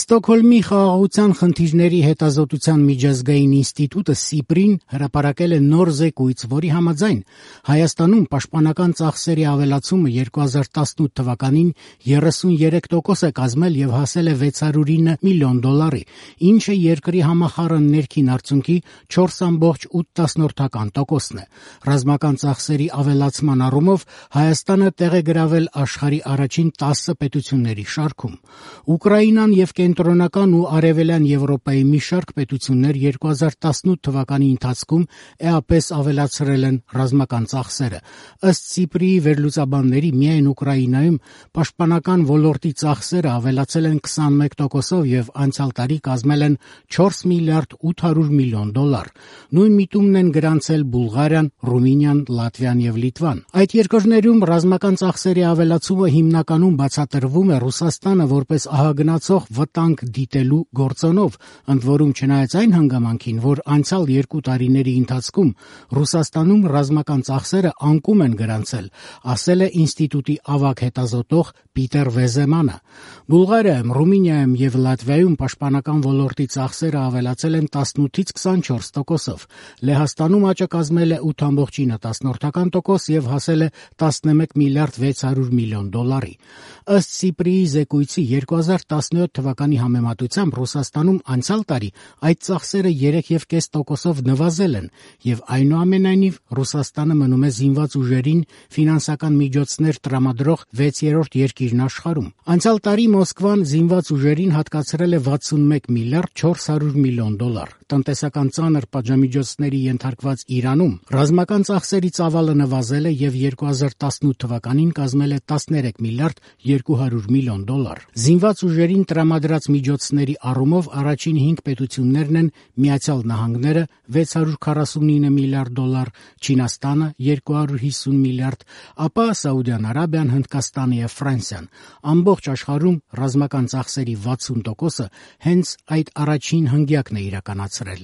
Ստոկհոլմի խաղաղության խնդիրների հետազոտության միջազգային ինստիտուտը Սիպրին հրապարակել է նոր զեկույց, որի համաձայն Հայաստանում պաշտպանական ծախսերի ավելացումը 2018 թվականին 33% է կազմել եւ հասել է $609 միլիոն, ինչը երկրի համախառն ներքին արդյունքի 4,8%-ն է։ Ռազմական ծախսերի ավելացման առումով Հայաստանը տեղ է գրավել աշխարհի առաջին 10 պետությունների շարքում։ Ուկրաինան եւ Կենտրոնական ու Արևելյան Եվրոպայի մի շարք պետություններ 2018 թվականի ընթացքում էապես ավելացրել են ռազմական ծախսերը։ Ըստ Սիպրիի վերլուծաբանների, միայն Ուկրաինայում պաշտպանական ոլորտի ծախսերը ավելացել են 21%-ով եւ անցյալ տարի կազմել են $4 միլիարդ 800 միլիոն։ Նույն միտումն են գրանցել Բուլղարիան, Ռումինիան, Լատվիան եւ Լիտվան։ Այդ երկրներում ռազմական ծախսերի ավելացումը հիմնականում բացատրվում է Ռուսաստանը որպես ահագնացող վտանգ դիտելու գործոնով, ընդ որում չնայած այն հանգամանքին, որ անցյալ 2 տարիների ընթացքում Ռուսաստանում ռազմական ծախսերը անկում են գրանցել, ասել է ինստիտուտի ավագ հետազոտող Պիտեր Վեզեմանը։ Բուլղարիայում, Ռումինիայում եւ Լատվիայում պաշտպանական ոլորտի ծախսերը ավելացել են 18-ից 24%-ով։ Լեհաստանում աճը կազմել է 8,9% եւ հասել է $11 միլիարդ 600 միլիոն։ Ըստ Սիպրիի զեկույցի 2017 թվականի համեմատությամբ Ռուսաստանում անցյալ տարի այդ ծախսերը 3,5%-ով նվազել են եւ այնուամենայնիվ Ռուսաստանը մնում է զինված ուժերին ֆինանսական միջոցներ տրամադրող 6-րդ երկիրն աշխարհում։ Անցյալ տարի Մոսկվան զինված ուժերին հատկացրել է $61 միլիարդ 400 միլիոն։ Տնտեսական ծանր պատժամիջոցների ենթարկված Իրանում ռազմական ծախսերի ծավալը նվազել է եւ 2018 թվականին կազմել է $13 միլիարդ 200 միլիոն։ Զինված ուժերին տրամադրած միջոցների առումով առաջին 5 պետություններն են Միացյալ Նահանգները $649 միլիարդ, Չինաստանը $250 միլիարդ, ապա Սաուդյան Արաբիան, Հնդկաստանը եւ Ֆրանսիան։ Ամբողջ աշխարհում ռազմական ծախսերի 60%-ը հենց այդ առաջին հնգյակն է իրականացրել։